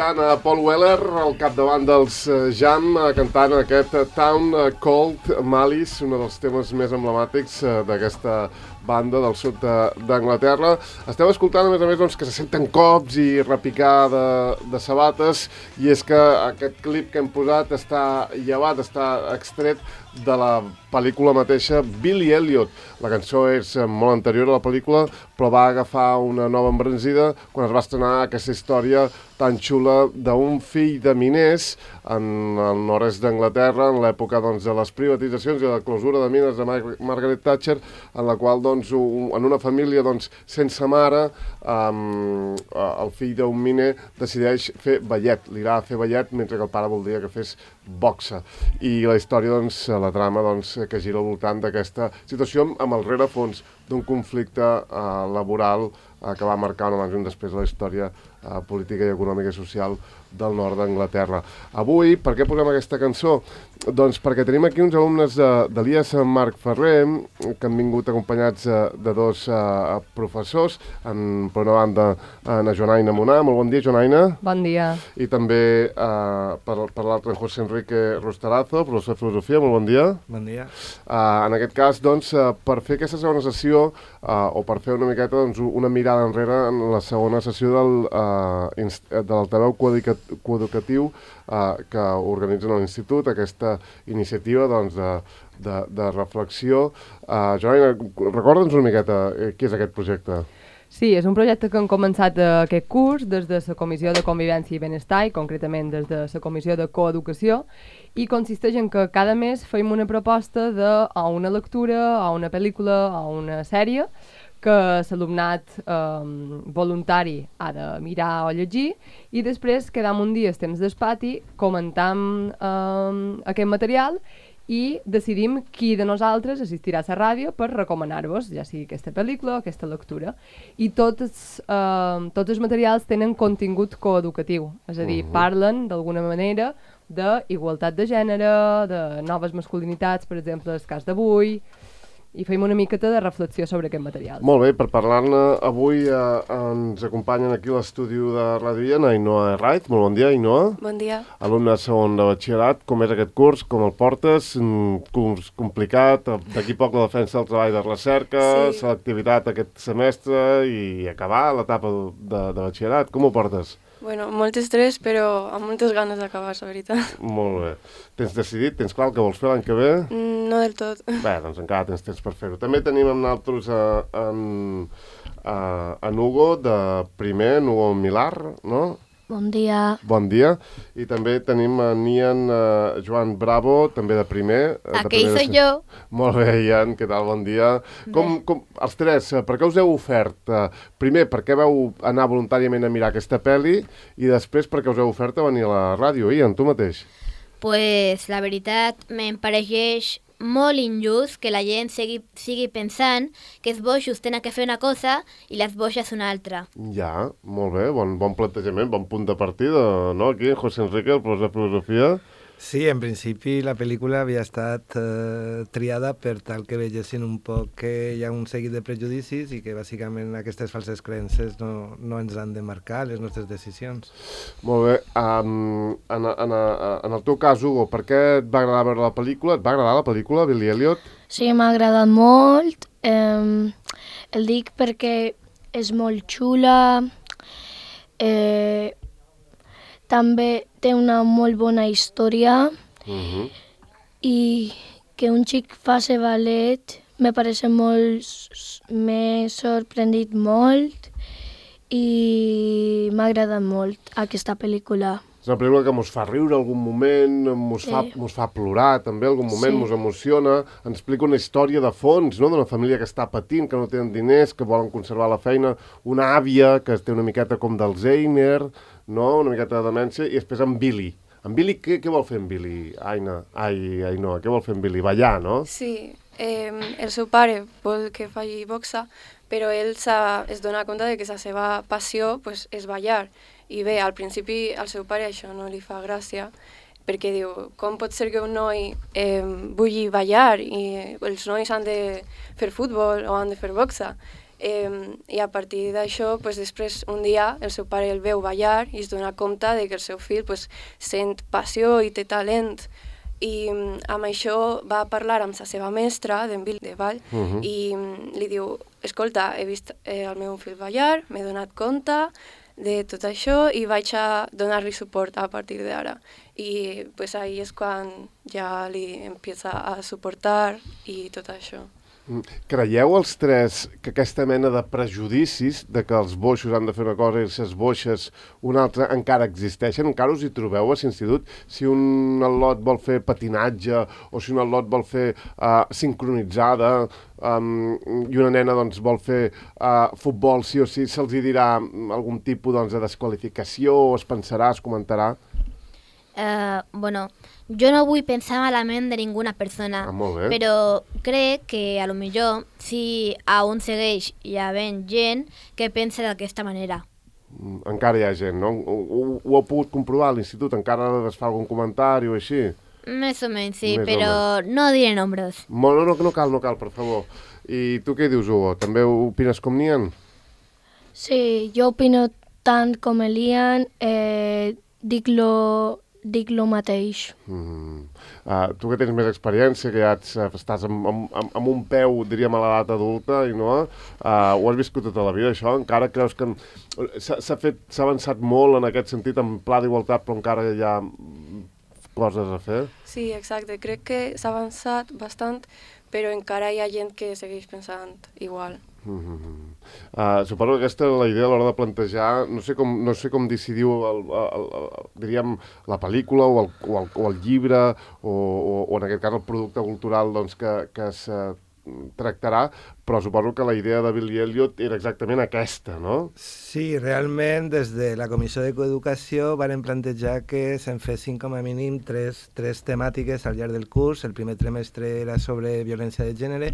escoltant a Paul Weller al capdavant dels Jam cantant aquest Town Called Malice, un dels temes més emblemàtics d'aquesta banda del sud d'Anglaterra. Estem escoltant, a més, doncs, que se senten cops i repicar de sabates, i és que aquest clip que hem posat està llevat, està extret de la pel·lícula mateixa Billy Elliot. La cançó és molt anterior a la pel·lícula, però va agafar una nova embranzida quan es va estrenar aquesta història tan xula d'un fill de miners en el nord-est d'Anglaterra, en l'època doncs, de les privatitzacions i de la clausura de mines de Margaret Thatcher, en la qual doncs, en una família doncs, sense mare, el fill d'un miner decideix fer ballet, li agrada fer ballet, mentre que el pare voldria que fes boxa. I la història, doncs, la trama doncs, que gira al voltant d'aquesta situació amb el rerefons d'un conflicte laboral que va marcar un abans i un després de la història política i econòmica i social del nord d'Anglaterra. Avui, per què posem aquesta cançó? Doncs perquè tenim aquí uns alumnes de l'IES Marc Ferrer que han vingut acompanyats de dos professors, per una banda en Joanaina Monar. Molt bon dia, Joanaina. Bon dia. I també per l'altre en José Enrique Rostarazo, professor de filosofia. Molt bon dia. Bon dia. En aquest cas, doncs, per fer aquesta segona sessió, o per fer una miqueta doncs, una mirada enrere en la segona sessió de l'altaveu coeducatiu que organitzen a l'Institut, aquesta iniciativa doncs, de reflexió. Joana, recorda'ns una miqueta què és aquest projecte. Sí, és un projecte que hem començat aquest curs des de la Comissió de Convivència i Benestar, i concretament des de la Comissió de Coeducació, i consisteix en que cada mes fem una proposta a una lectura, a una pel·lícula, a una sèrie, que l'alumnat voluntari ha de mirar o llegir, i després quedam un dia, temps d'espati, comentam aquest material i decidim qui de nosaltres assistirà a la ràdio per recomanar-vos, ja sigui aquesta pel·lícula o aquesta lectura. I tots els materials tenen contingut coeducatiu, és a dir, parlen d'alguna manera d'igualtat de gènere, de noves masculinitats, per exemple, el cas d'avui, i fem una miqueta de reflexió sobre aquest material. Molt bé, per parlar-ne avui ens acompanyen aquí a l'estudi de Ràdio Viena Ainhoa Herraiz. Molt bon dia, Ainhoa. Bon dia. Alumne de segon de batxillerat. Com és aquest curs? Com el portes? Un curs complicat, d'aquí poc la defensa del treball de recerca, sí. Selectivitat aquest semestre i acabar l'etapa de batxillerat. Com ho portes? Bueno, molt estrès, però amb moltes ganes d'acabar, la veritat. Molt bé. Tens decidit? Tens clar el que vols fer l'any que ve? No del tot. Bé, doncs encara tens temps per fer-ho. També tenim amb nosaltres en Hugo, de primer, en Hugo Millar, no? Bon dia. Bon dia. I també tenim en Ian Joan Bravo, també de primer. Aquí soy jo. Molt bé, Ian, què tal? Bon dia. Com, els tres, per què us heu ofert? Primer, per què vau anar voluntàriament a mirar aquesta pel·li, i després per què us heu ofert a venir a la ràdio? Ian, tu mateix. Pues la veritat me'n pareixeix molt injust que la gent sigui pensant que els boixos tenen que fer una cosa i les boixes una altra. Ja, molt bé, bon plantejament, bon punt de partida, no? Aquí, José Enrique, el professor de filosofia. Sí, en principi la pel·lícula havia estat triada per tal que vegessin un poc que hi ha un seguit de prejudicis i que bàsicament aquestes falses creences no ens han de marcar les nostres decisions. Molt bé. En el teu cas, Hugo, per què et va agradar veure la pel·lícula? Et va agradar la pel·lícula, Billy Elliot? Sí, m'ha agradat molt. El dic perquè és molt xula. També té una molt bona història i que un xic faci ballet me pareix molt... m'he sorprendit molt i m'ha agradat molt aquesta pel·lícula. És una pel·lícula que mos fa riure algun moment, mos fa plorar també algun moment, mos emociona, ens explica una història de fons, no?, d'una família que està patint, que no tenen diners, que volen conservar la feina, una àvia que té una miqueta com d'Alzheimer, no?, una miqueta de demència, i després en Billy. En Billy, què vol fer en Billy? Ainhoa, què vol fer en Billy? Ballar, no? Sí, el seu pare vol que faci boxa, però ell es dona compte de que la seva passió pues, és ballar. I bé, al principi al seu pare això no li fa gràcia, perquè diu, com pot ser que un noi vulgui ballar i els nois han de fer futbol o han de fer boxa? I a partir d'això, pues, després, un dia, el seu pare el veu ballar i es dona compte de que el seu fill pues, sent passió i té talent. I amb això va parlar amb la seva mestra d'en Bill de ball i li diu, escolta, he vist el meu fill ballar, m'he donat compte de tot això i vaig a donar-li suport a partir d'ara. I pues, ahí és quan ja li empieza a suportar i tot això. Creieu els tres que aquesta mena de prejudicis de que els boixos han de fer una cosa i les boixes una altra encara existeixen? Encara us hi trobeu a l'institut? Si un al·lot vol fer patinatge o si un al·lot vol fer sincronitzada i una nena doncs, vol fer futbol, sí o sí, se'ls hi dirà algun tipus doncs, de desqualificació o es pensarà, es comentarà? Bueno, jo no vull pensar malament de ninguna persona, però crec que a lo millor si aún segueix hi havent gent que pensa d'aquesta manera. Encara hi ha gent, no? Ho heu pogut comprovar a l'institut? Encara es fa algun comentari o així? Més o menys, sí, però no diré nombres. No cal, per favor. I tu què dius, Hugo? També opines com n'Ian? Sí, jo opino tant com l'Ian, dic lo mateix. Tu que tens més experiència, que ja estàs amb un peu, diríem, a l'edat adulta, i no? Ho has viscut tota la vida, això? Encara creus que s'ha avançat molt en aquest sentit, en pla d'igualtat, però encara hi ha coses a fer? Sí, exacte. Crec que s'ha avançat bastant, però encara hi ha gent que segueix pensant igual. Suposo que aquesta és la idea a l'hora de plantejar, no sé com decidiu diríem la pel·lícula o el llibre o en aquest cas el producte cultural doncs, que es tractarà, però suposo que la idea de Billy Elliot era exactament aquesta, no? Sí, realment des de la Comissió de Coeducació varen plantejar que se'n fessin com a mínim tres temàtiques al llarg del curs. El primer trimestre era sobre violència de gènere,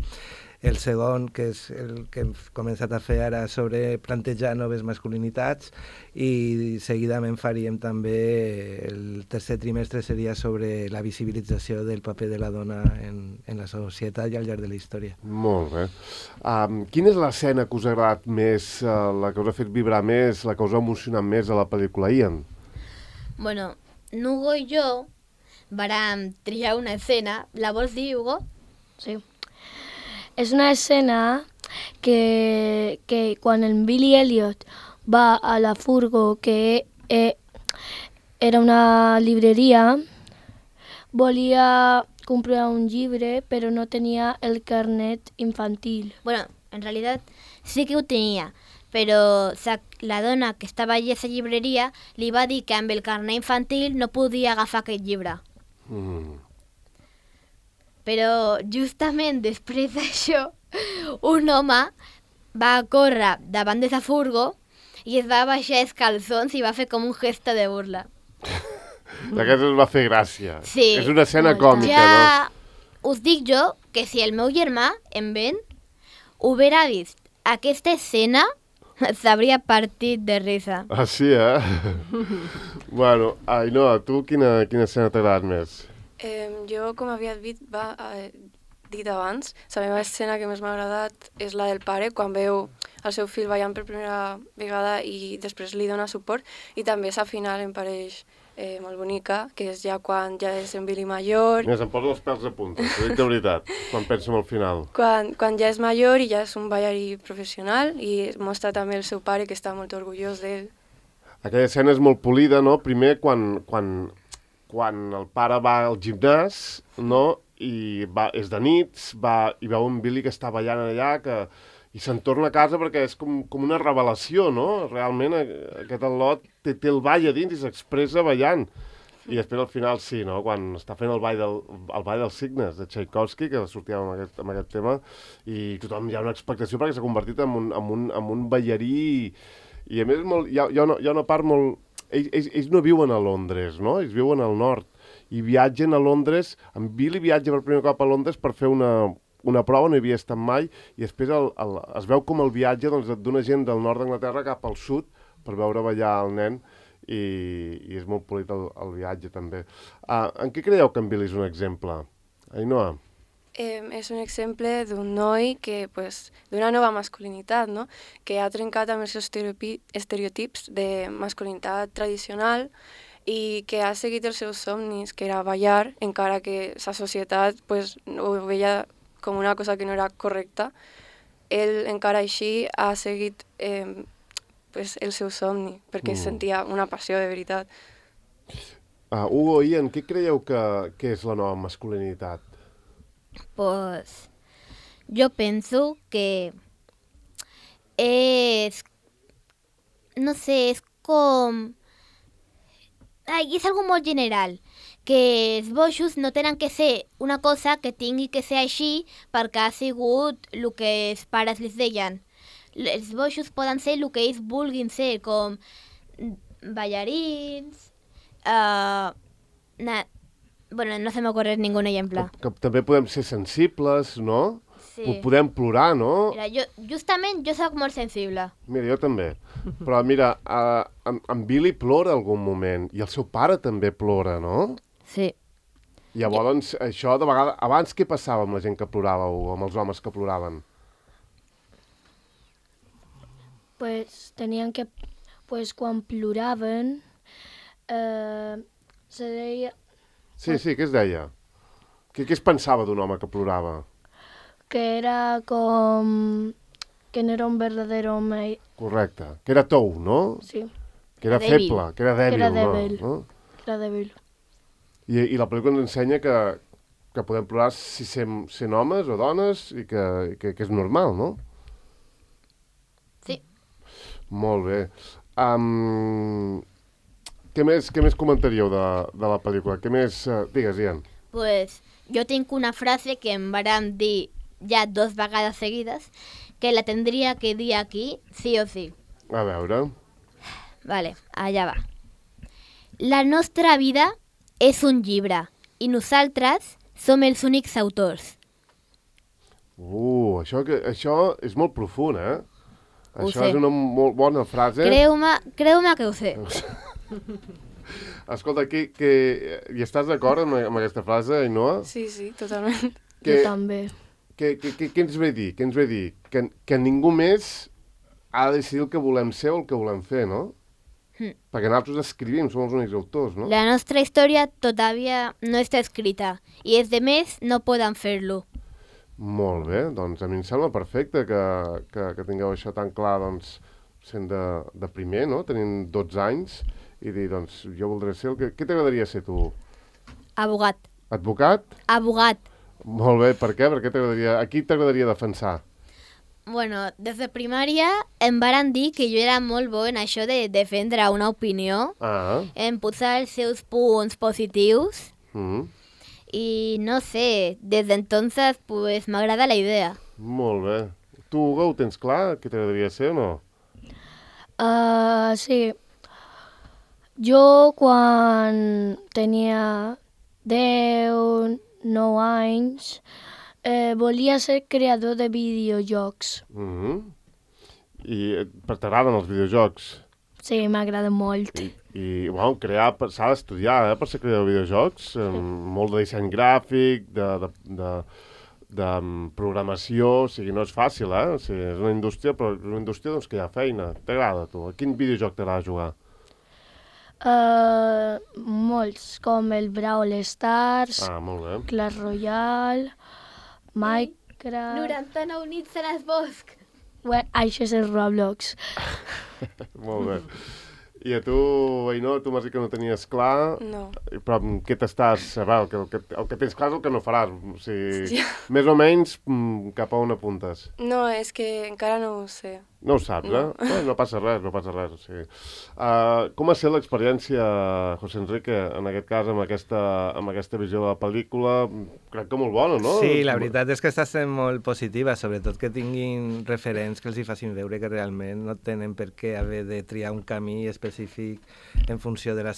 el segon, que és el que hem començat a fer ara, sobre plantejar noves masculinitats, i seguidament faríem també el tercer trimestre seria sobre la visibilització del paper de la dona en la societat i al llarg de la història. Molt bé. Quina és l'escena que us ha agradat més, la que us ha fet vibrar més, la que us ha emocionat més a la pel·lícula, Ian? Bueno, Hugo i jo vam triar una escena. La vols dir, Hugo? Sí. És una escena que quan el Billy Elliot va a la furgo, que era una libreria, volia comprar un llibre, però no tenia el carnet infantil. Bueno, en realitat sí que ho tenia, però la dona que estava allà a la llibreria li va dir que amb el carnet infantil no podia agafar aquest llibre. Però justament després d'això, un home va córrer davant de la furgo i es va baixar els calçons i va fer com un gesto de burla. Aquesta us va fer gràcia. Sí. És una escena còmica, ja no? Us dic jo que si el meu germà, en Ben, hubiera vist aquesta escena, s'hauria partit de risa. Ah, sí, Bueno, Ainhoa, tu quina escena t'ha agradat més? Jo, com havia dit abans, la meva escena que més m'ha agradat és la del pare, quan veu el seu fill ballant per primera vegada i després li dona suport, i també la final em pareix molt bonica, que és ja quan ja és en Billy major. Mira, se'm posen els pèls a punta, t'ho dic de veritat, quan penso en el final. Quan ja és major i ja és un ballarí professional i mostra també el seu pare, que està molt orgullós d'ell. Aquella escena és molt polida, no? Primer, quan el pare va al gimnàs, no? I és de nits, i veu un Billy que està ballant allà, i se'n torna a casa perquè és com una revelació, no? Realment aquest al·lot té el ball a dins i s'expressa ballant. I després al final sí, no? Quan està fent el ball dels signes de Tchaikovsky, que sortia amb aquest tema, i tothom hi ha una expectació perquè s'ha convertit en un ballarí, i a més hi ha una part molt... Ells no viuen a Londres, no? Ells viuen al nord i viatgen a Londres. En Billy viatja per primer cop a Londres per fer una prova, no hi havia estat mai, i després es veu com el viatge d'una gent del nord d'Anglaterra cap al sud per veure ballar el nen, i és molt polit el viatge també. En què creieu que en Billy és un exemple? Ainhoa? És un exemple d'un noi que, d'una nova masculinitat, no? Que ha trencat amb els estereotips de masculinitat tradicional i que ha seguit els seus somnis, que era ballar, encara que la societat ho veia com una cosa que no era correcta. Ell encara així ha seguit el seu somni, perquè sentia una passió de veritat. Hugo, Ian, què creieu que és la nova masculinitat? Pues yo pienso que es, no sé, es com... Ai, és algo molt general, que els boixos no tenen que ser una cosa que tingui que ser així perquè ha sigut el que els pares les deien. Els boixos poden ser el que ells vulguin ser, com ballarins, bueno, no se m'ocorre ningun exemple. Que també podem ser sensibles, no? Sí. Podem plorar, no? Mira, justament jo soc molt sensible. Mira, jo també. Però mira, en Billy plora algun moment, i el seu pare també plora, no? Sí. Llavors, això de vegades... Abans què passava amb la gent que plorava, Hugo, amb els homes que ploraven? Pues tenien que... Pues quan ploraven, se deia... Sí, què es deia? Què es pensava d'un home que plorava? Que era com... que no era un verdadero home. Correcte. Que era tou, no? Sí. Que era feble, que era dèbil. Que era dèbil. No? Que era dèbil. I la pel·lícula ens ensenya que podem plorar si sent homes o dones i que és normal, no? Sí. Molt bé. Què més comentaríeu de la pel·lícula? Què més... Digues, Ian. Pues jo tinc una frase que em varen dir ja 2 vegades seguides, que la tendria que dir aquí sí o sí. A veure. Vale, allà va. La nostra vida és un llibre i nosaltres som els únics autors. Això és molt profund, eh? Ho Això sé. és una molt bona frase. Creu-me que ho sé. Escolta, hi estàs d'acord amb aquesta frase, Ainhoa? Sí, totalment. Jo també. Què ens ve a dir? Què ens ve a dir? Que ningú més ha de decidir el que volem ser o el que volem fer, no? Perquè nosaltres escrivim, som els únics autors, no? La nostra història todavía no està escrita i els demés no poden fer-lo. Molt bé, doncs a mi em sembla perfecte que tingueu això tan clar, doncs, sent de primer, no? Tenint 12 anys i dir, doncs, jo voldré ser Què t'agradaria ser tu? Abogat. Advocat? Abogat. Molt bé, per què? A qui t'agradaria defensar? Bueno, des de primària em varen dir que jo era molt bo en això de defendre una opinió, en posar els seus punts positius, i no sé, des d'entonces pues m'agrada la idea. Molt bé. Tu, Hugo, ho tens clar? Què t'agradaria ser o no? Sí. Jo quan tenia 10, 9 anys, volia ser creador de videojocs. I t'agraden els videojocs? Sí, m'agrada molt. I bueno, s'ha d'estudiar, per ser creador de videojocs. Molt de disseny gràfic, de programació, o sigui, no és fàcil, eh? O sigui, és una indústria, però és una indústria doncs, que hi ha feina. T'agrada, tu? A quin videojoc t'agrada jugar? Molts, com el Brawl Stars, molt bé. Clash Royale, Minecraft... 99 nits en el bosc. Bueno, això és el Roblox. Molt bé. I a tu, Ainhoa, tu m'has dit que no tenies clar... No. Però què t'estàs... El que tens clar és el que no faràs. O sigui, més o menys cap a on apuntes. No, és que encara no ho sé. No ho saps, eh? No passa res. O sigui. Com ha estat l'experiència, José Enrique, en aquest cas, amb aquesta visió de la pel·lícula? Crec que molt bona, no? Sí, la veritat és que està sent molt positiva, sobretot que tinguin referents que els hi facin veure que realment no tenen per què haver de triar un camí específic en funció del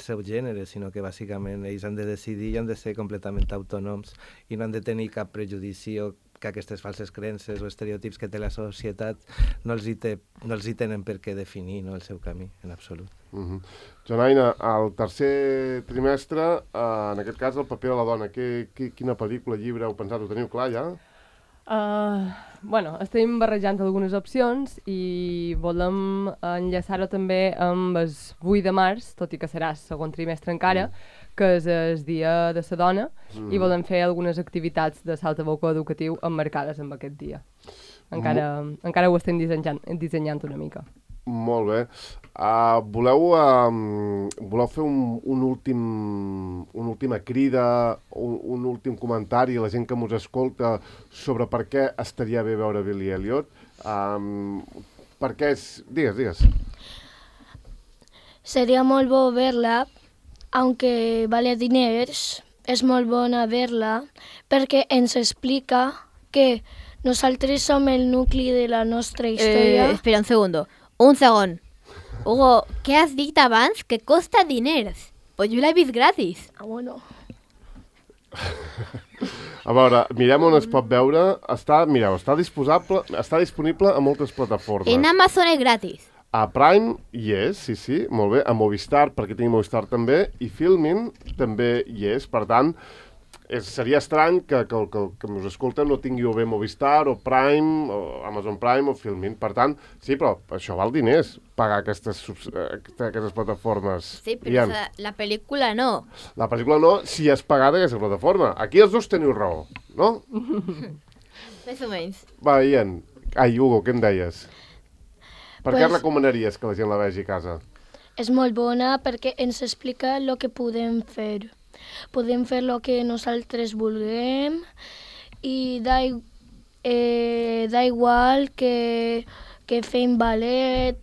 seu gènere, sinó que bàsicament ells han de decidir i han de ser completament autònoms i no han de tenir cap prejudici o que aquestes falses creences o estereotips que té la societat no els hi tenen per què definir, no, el seu camí, en absolut. Jonaina, al tercer trimestre, en aquest cas, el paper de la dona, quina pel·lícula, llibre heu pensat? Ho teniu clar, ja? Bueno, estem barrejant algunes opcions i volem enllaçar-ho també amb el 8 de març, tot i que serà el segon trimestre encara, que és el dia de la dona, i volem fer algunes activitats de saltaboca educatiu emmarcades amb aquest dia. Encara ho estem dissenyant una mica. Molt bé. Voleu fer una última crida, un últim comentari a la gent que mos escolta sobre per què estaria bé veure Billy Elliot? Per què és... Digues. Seria molt bo verla, aunque vale diners, és molt bona verla, perquè ens explica que nosaltres som el nucli de la nostra història. Espera un segon. Hugo, què has dit abans? Que costa diners. Pues jo l'he vist gratis. Bueno. A veure, mirem on es pot veure. Està disponible a moltes plataformes. En Amazon és gratis. A Prime hi és, sí, molt bé. A Movistar, perquè tinc Movistar també, i Filmin també hi és. Per tant, seria estrany que us escolten no tingui o bé Movistar, o Prime, o Amazon Prime, o Filmin. Per tant, sí, però això val diners, pagar aquestes plataformes. Sí, però la pel·lícula no. La pel·lícula no, si és pagada aquesta plataforma. Aquí els dos teniu raó, no? Més o menys. Va, Ian. Hugo, què em deies? Per què recomanaries que la gent la vegi a casa? És molt bona perquè ens explica el que podem fer. Podem fer el que nosaltres vulguem i da igual que fem ballet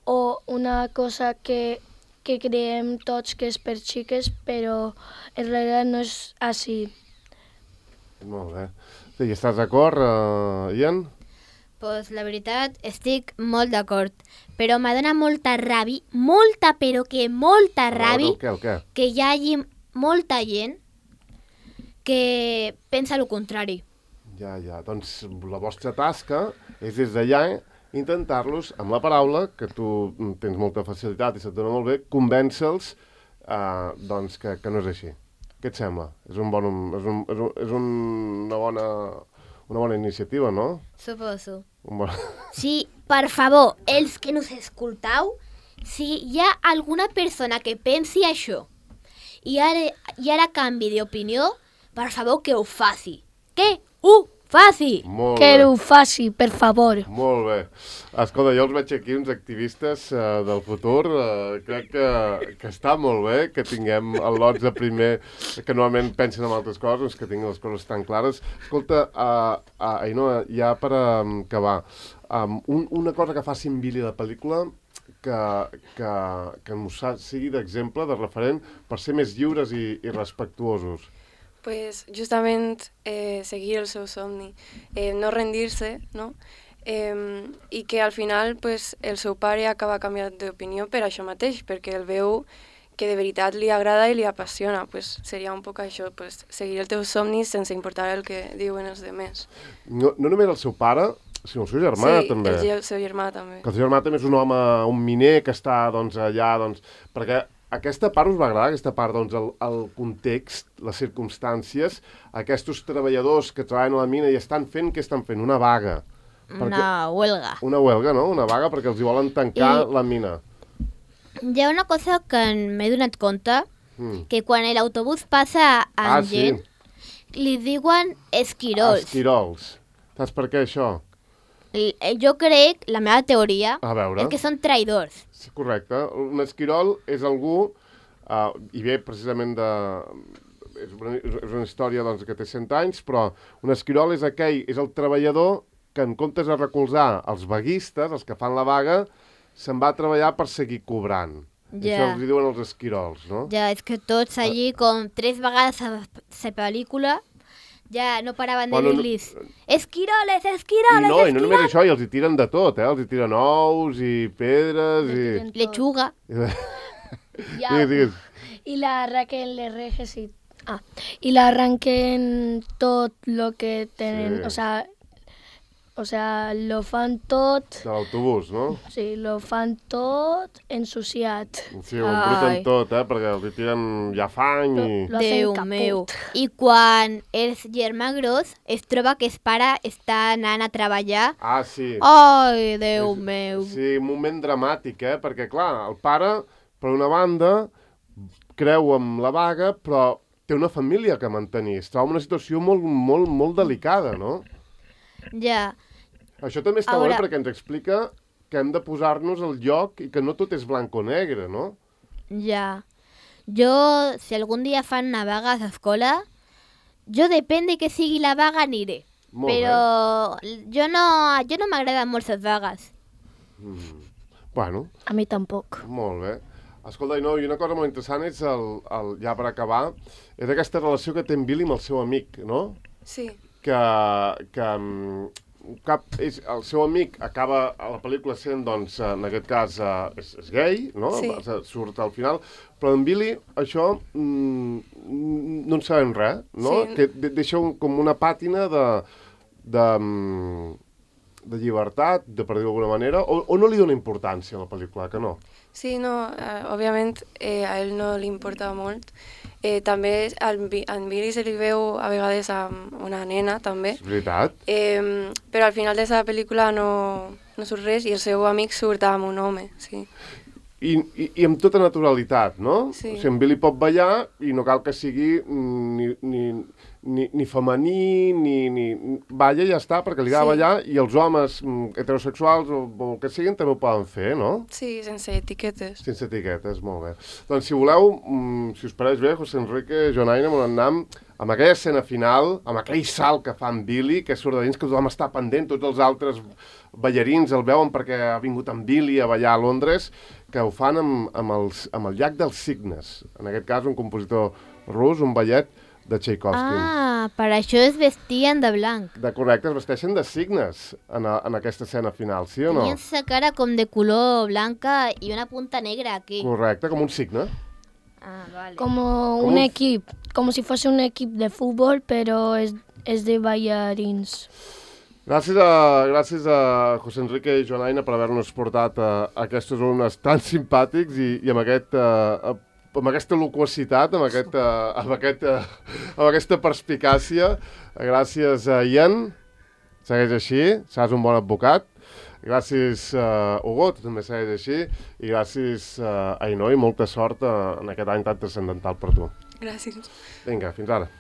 o una cosa que creiem tots que és per xiques, però en realitat no és així. Molt bé. I estàs d'acord, Ian? Pues la veritat, estic molt d'acord, però m'adona molta ràbia, molta ràbia, que hi hagi molta gent que pensa el contrari. Ja. Doncs la vostra tasca és des d'allà intentar-los, amb la paraula, que tu tens molta facilitat i se't dona molt bé, convèncer-los doncs que no és així. Què et sembla? És una bona iniciativa, no? Suposo. Sí, per favor, els que nos escoltau, si hi ha alguna persona que pensi això i ara canvi d'opinió, per favor, que ho faci. Que ho faci! Que ho faci, per favor. Molt bé. Escolta, jo els veig aquí uns activistes del futur. Crec que està molt bé que tinguem el lots de primer que normalment pensen en altres coses, que tinguin les coses tan clares. Escolta, Ainhoa, ja per acabar, una cosa que faci en Billy la pel·lícula que ens sigui d'exemple, de referent, per ser més lliures i respectuosos. Pues justament seguir el seu somni, no rendir-se, no? I que al final pues, el seu pare acaba canviant d'opinió per això mateix, perquè el veu que de veritat li agrada i li apassiona. Pues, seria un poc això, pues, seguir el teu somni sense importar el que diuen els demés. No només el seu pare, sinó el seu germà, també. Sí, el seu germà també. Que el seu germà també és un home, un miner que està allà, perquè aquesta part us va agradar, aquesta part, el context, les circumstàncies, aquests treballadors que treballen a la mina i estan fent, què estan fent? Una vaga. Una huelga. Una huelga, no? Una vaga perquè els hi volen tancar la mina. Hi ha una cosa que m'he donat compte, que quan l'autobús passa amb gent, li diuen esquirols. Esquirols. Saps per què això? Jo crec, la meva teoria, és que són traïdors. Sí, correcte. Un esquirol és algú, i ve precisament és una història que té 100 anys, però un esquirol és el treballador que en comptes de recolzar els vaguistes, els que fan la vaga, se'n va a treballar per seguir cobrant. Això els diuen els esquirols, no? Ja, és que tots allí, com 3 vegades a la pel·lícula, ja no paraven de dir-los esquiroles, esquiroles, esquiroles. I no només això, i els hi tiren de tot, els hi tiren ous i pedres i... Lechuga. I la Raquel le reges i i l'arranquen tot el que tenen, o sea, lo fan tot... De l'autobús, no? Sí, lo fan tot ensuciat. Sí, ho embruten tot, perquè els tiren ja fang i... Lo hacen caput. meu. I quan el germà gros es troba que es pare està anant a treballar... Ah, sí. Ai, Déu meu. Sí, un moment dramàtic, perquè, clar, el pare, per una banda, creu amb la vaga, però té una família que mantenir. Es troba en una situació molt, molt, molt delicada, no? Ja. Això també està bé perquè ens explica que hem de posar-nos al lloc i que no tot és blanc o negre, no? Ja. Jo, si algun dia fan una vaga a l'escola, jo depèn de que sigui la vaga aniré. Molt però jo no m'agraden molt les vagues. Bueno. A mi tampoc. Molt bé. Escolta, i una cosa molt interessant és, ja per acabar, és aquesta relació que té en Billy amb el seu amic, no? Sí. Que el seu amic acaba a la pel·lícula sent, doncs, en aquest cas, és gay, no? Sí. Surt al final, però en Billy això no en sabem res, no? Sí. Que deixa com una pàtina de llibertat, per dir-ho d'alguna manera, o no li dona importància a la pel·lícula, que no? Sí, no, òbviament a ell no li importa molt. També en Billy se li veu a vegades amb una nena, també. És veritat. Però al final de la pel·lícula no surt res i el seu amic surt amb un home, sí. I amb tota naturalitat, no? Sí. O sigui, en Billy pot ballar i no cal que sigui ni femení, ni... Balla i ja està, perquè li agrada ballar, i els homes heterosexuals o el que siguin també ho poden fer, no? Sí, sense etiquetes. Sense etiquetes, molt bé. Doncs si voleu, si us pareix bé, José Enrique, Joan Aina, Monannam, amb aquella escena final, amb aquell salt que fa en Billy, que surt de dins, que tothom està pendent, tots els altres ballarins el veuen perquè ha vingut en Billy a ballar a Londres, que ho fan amb el llac dels cignes. En aquest cas, un compositor rus, un ballet de Tchaikovsky. Ah, per això es vestien de blanc. De correcte, es vesteixen de cignes en aquesta escena final, sí o no? Tenien la cara com de color blanca i una punta negra aquí. Correcte, com un cigne. Ah, vale. Como un equip, como si fuese un equip de futbol, pero es de ballarins. Gràcies a José Enrique i Joan Aina per haver-nos portat aquests alumnes tan simpàtics i amb aquesta loquacitat, amb aquesta perspicàcia. Gràcies a Ian, segueix així, seràs un bon advocat. Gràcies, Hugo, tu també segueix així. I gràcies, Ainhoa, i molta sort en aquest any tan transcendental per tu. Gràcies. Vinga, fins ara.